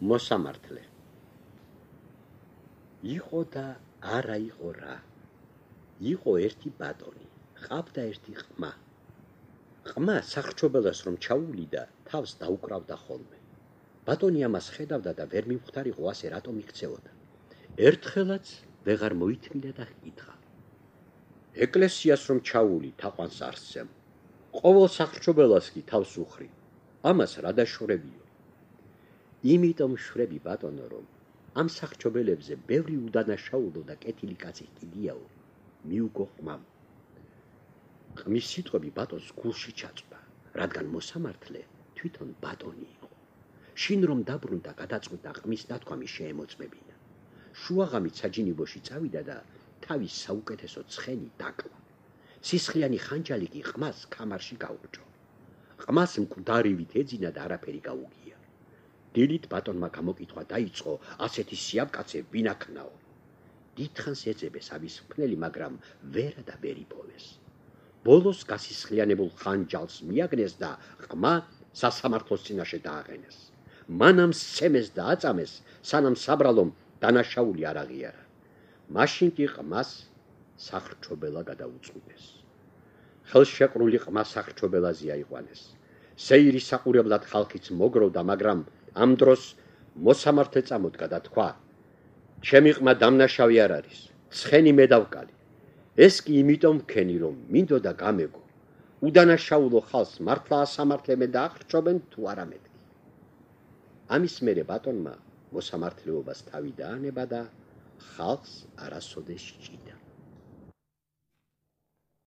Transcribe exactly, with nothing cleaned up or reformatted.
მოსამართლე. იყო და არა იყო რა. იყო ერთი ბატონი, ყავდა ერთი ყმა. ყმა სახრჩობელას რომ ჩაუვლიდა, თავს დაუკრავდა ხოლმე. ბატონი ამას ხედავდა და ვერ მივხვდარიყო ასე რატომ იქცეოდა. ერთხელაც ვეღარ მოითმინა და ჰკითხა. ეკლესიას რომ ჩაული თაყვანს არ სცემ. ყოველ სახრჩობელას კი თავს უხრი. ამას რა დაშორებიო? იმიტომ შვრები ბატონო, რომ ამ სახრჩობელებზე ბევრი უდანაშაულო და კეთილი კაცი ჰყიდიაო, მიუგო ყმამ. ყმის სიტყვები ბატონს გულში ჩაწვა, რადგან მოსამართლე თვითონ ბატონი იყო. შინ რომ დაბრუნდა გადაწყვიტა ყმის დათქვამი შეემოწმებინა. შუაღამით საჯინიბოში წავიდა და თავის საუკეთესო ცხენი დაკლა. სისხლიანი ხანჯალი კი ყმას ქამარში გაუგჯო. ყმას მკვდარივით ეძინა და არაფერი გაუგია. დილით ბატონმა გამოკითხვა დაიწყო, ასეთი სიამკაცე ვინ აქნაო? დიდხანს ეძებეს ამის მკვლელი, მაგრამ ვერა და ვერ იპოვეს. ბოლოს გასისხლიანებულ ხანჯალს მიაგნეს და ყმა სასამართლოს წინაშე დააყენეს. მანამ სცემეს და აწამეს, სანამ საბრალომ დანაშაული არ აღიარა. მაშინ კი ყმას სახრჩობელა გადაუწყვიტეს. ხელშეყრული ყმა სახრჩობელაზე აიყვანეს. სეირის საყურებლად ხალხიც მოგროვდა, მაგრამ ამ დროს მოსამართლე წამოდგა და თქვა: ჩემი ყმა დამნაშავე არ არის, ცხენი მე დავკალი. ეს კი იმიტომ ვქენი, რომ მინდოდა გამეგო. უდანაშაულო ხალხს მართლა ასამართლემენ და ახრჩობენ თუ არა მეთქი. ამის მერე ბატონმა მოსამართლეობას თავი დაანება და ხალხს არასოდეს სჭიდა.